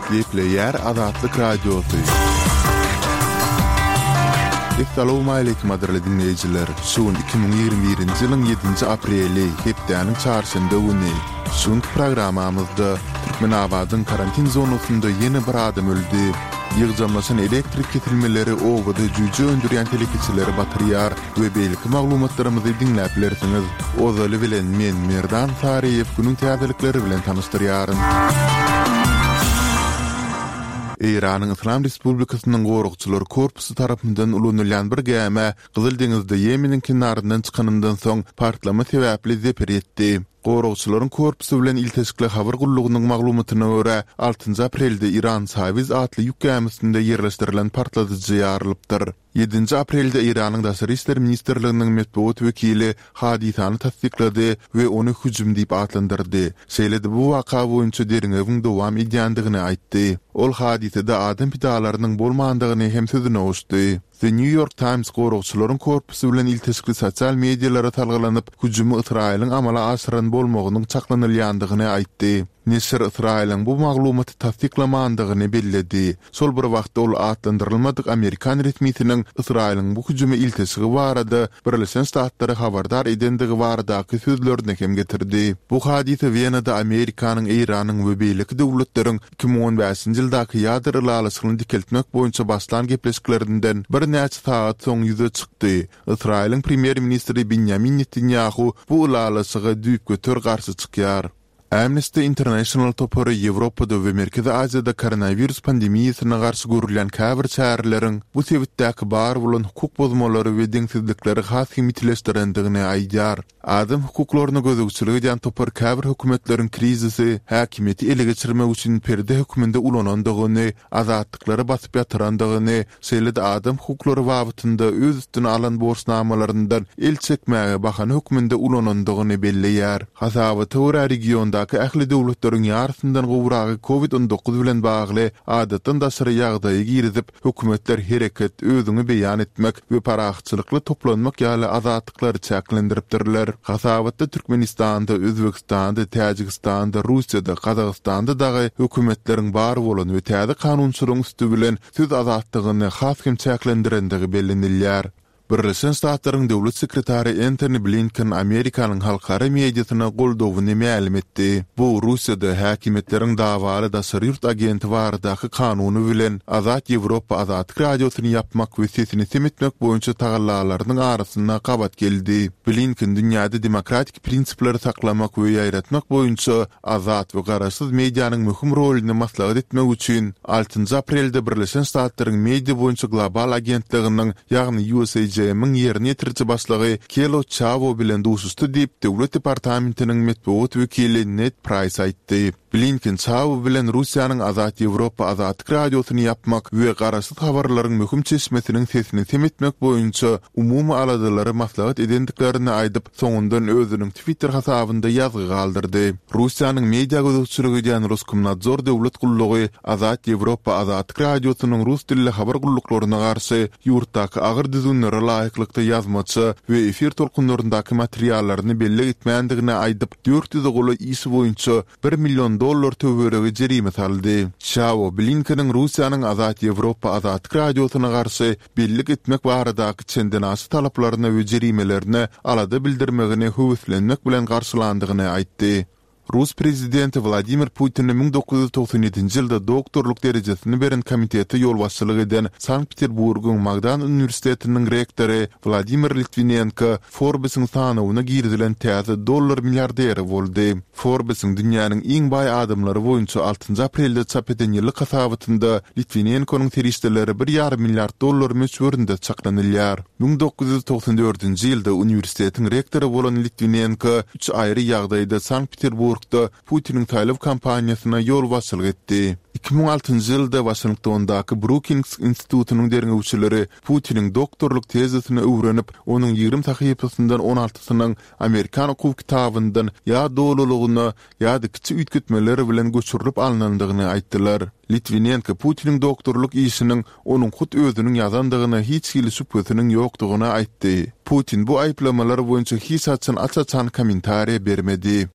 Gepleýär Azatlyk Radiosy. Essalawmaleýkim gadyrly diňleýjiler! Şu gün 2021-nji ýylyň ýedinji apreli, hepdäniň çarşenbe güni. Şu günki programmamyzda Türkmenabadyň karantin zonasynda ýene bir adam öldi. Ýygjamlaşan elektrik kesilmeleri obada jüýje öndürýän telekeçileri batyrýar we beýleki maglumatlarymyzy diňläp bilersiňiz. Ozaly bilen men Merdan Saryýew günüň täzelikleri bilen tanyşdyrýaryn. Eýranyň Yslam Respublikasynyň Goragçylar korpusy tarapyndan ulanylýan bir gämä Gyzyl deňizde Ýemeniň kenaryndan çykanyndan soň partlama sebäpli zeper ýetdi. Goragçylaryň korpusy bilen ilteşikli habar gullugynyň maglumatyna görä, altynjy aprelde Iran Sawiz atly ýük gämisinde ýerleşdirilen partladyjy ýarylypdyr. Ýedinji aprelde Eýranyň Daşary işler ministrliginiň metbugat wekili hadysany tassyklady we ony hüjüm diýip atlandyrdy. Şeýle-de bu waka boýunça derňewiň dowam edýändigini aýtdy. Ol hadysada adam pidalarynyň bolmandygyny hem sözüne goşdy. The New York Times goragçylaryň korpusy bilen ilteşikli sosial medialara salgylanyp, hüjümi Ysraýylyň amala aşyran bolmagynyň çaklanylýandygyny aýtdy. Neşir Ysraýylyň bu maglumaty tassyklamandygyny belledi. Şol bir wagtda ol atlandyrylmadyk amerikan resmisiniň Ysraýylyň bu hüjüme ilteşigi barada Birleşen Ştatlary habardar edendigi baradaky sözlerini hem getirdi. Bu hadysa Wenada Amerikanyň, Eýranyň we beýleki döwletleriň 2015-nji ýyldaky ýadro ylalaşygyny dikeltmek boýunça başlan gepleşiklerinden birnäçe sagat soň ýüze çykdy. Ysraýylyň premýer-ministri Binýamin Netanýahu bu ylalaşyga düýpgöter garşy çykýar. Amnesty International topary Ýewropada we Merkezi Aziýada koronawirus pandemiýasyna garşy görülýän käbir çäreleriň bu sebitdäki bar bolan hukuk bozmalary we deňsizlikleri has hem ýitileşdirendigini aýdýar. Adam hukuklaryna gözegçilik edýän topar käbir hökümetleriň krizisi häkimiýeti ele geçirmek üçin perde hökmünde ulanandygyny, azatlyklary basyp ýatyrandygyny, şeýle-de adam hukuklary babatynda öz üstüne alan borçnamalaryndan el çekmäge bahana hökmünde ulanandygyny belleýär. Hasabata görä, regiondaky ähli döwletleriň ýarysyndan gowragy Covid 19 bilen bagly adatdan daşary ýagdaýy girizip, hökümetler hereket, özüňi beýan etmek we parahatçylykly toplanmak ýaly azatlyklary çäklendiripdirler. Hasabatda Türkmenistanda, Özbegistanda, Täjigistanda, Russiýada, Gazagystanda dagy hökümetleriň bar bolan we täze kanunçylygyň üsti bilen söz azatlygyny has hem çäklendirendigi bellenilýär. Birleşen Ştatlaryň Döwlet sekretary Entoni Blinken Amerikanyň halkara mediasyna goldawyny mälim etdi. Bu Russiýada häkimiýetleriň dawaly daşary ýurt agenti baradaky kanuny bilen Azat Ýewropa Azatlyk Radiosyny ýapmak we sesini sem etmek boýunça tagallalarynyň arasynda gabat geldi. Blinken dünýäde demokratik prinsipleri saklamak we ýaýratmak boýunça Azat we garaşsyz medianyň möhüm roluny maslahat etmek üçin altynjy aprelde Birleşen Ştatlaryň Media boýunça global agentliginiň, ýagny USAGM-iň ýerine ýetiriji başlygy Kelo Çawo bilen duşuşdy diýip, Döwlet departamentiniň metbugat wekili Ned Praýs aýtdy. Blinken Çawo bilen Russiýanyň Azat Ýewropa Azatlyk Radiosyny ýapmak we garaşsyz habarlaryň möhüm çeşmesiniň sesini sem etmek boýunça umumy aladalary maslahat edendiklerini aýdyp, soňundan özüniň Twitter hasabynda ýazgy galdyrdy. Russiýanyň media gözegçilik edýän Roskomnadzor döwlet gullugy Azat Ýewropa Azatlyk Radiosynyň rus dilli habar gulluklaryna garşy ýurtdaky agyr düzgünlere laýyklykda ýazmaça we efir tolkunlaryndaky materiallaryny bellik etmändigini aýdyp, 400-e golaý iş boýunça bir million dollar töweregi jerime saldy. Çawo Blinkeniň Russiýanyň Azat Ýewropa Azatlyk Radiosyna garşy bellik etmek baradaky çendenaşa talaplaryna we jerimelerine alada bildirmegini höweslenmek bilen garşylandygyny aýtdy. Rus prezidenti Wladimir Putine 1997-nji ýylda doktorlyk derejesini beren komitete ýolbaşçylyk eden Sankt-Peterburgyň Magdan uniwersitetiniň rektory Wladimir Litwinenko Forbesiň sanawyna girizilen täze dollar milliarderi boldy. Forbesiň dünýäniň iň baý adamlary boýunça altynjy aprelde çap eden ýyllyk hasabatynda Litwinenkonyň serişdeleri bir ýarym milliard dollar möçberinde çaklanylýar. 1994-nji ýylda uniwersitetiň rektory bolan Litwinenko üç aýry ýagdaýda Sankt-Peterburgda Putiniň saýlaw kampaniýasyna ýolbaşçylyk etdi. 2006-njy ýylda Waşingtondaky Brukings institutynyň derňewçileri Putiniň doktorlyk tezisini öwrenip, onuň 20 sahypasyndan on altysynyň amerikan okuw kitabyndan ýa dolulygyna, ýa-da kiçi üýtgetmeler bilen göçürilip alnandygyny aýtdylar. Litwinenko Putiniň doktorlyk işiniň onuň hut özüniň ýazandygyna hiç hili şübhesiniň ýokdugyny aýtdy. Putin bu aýyplamalar boýunça hiç haçan aç-açan kommentariýa bermedi.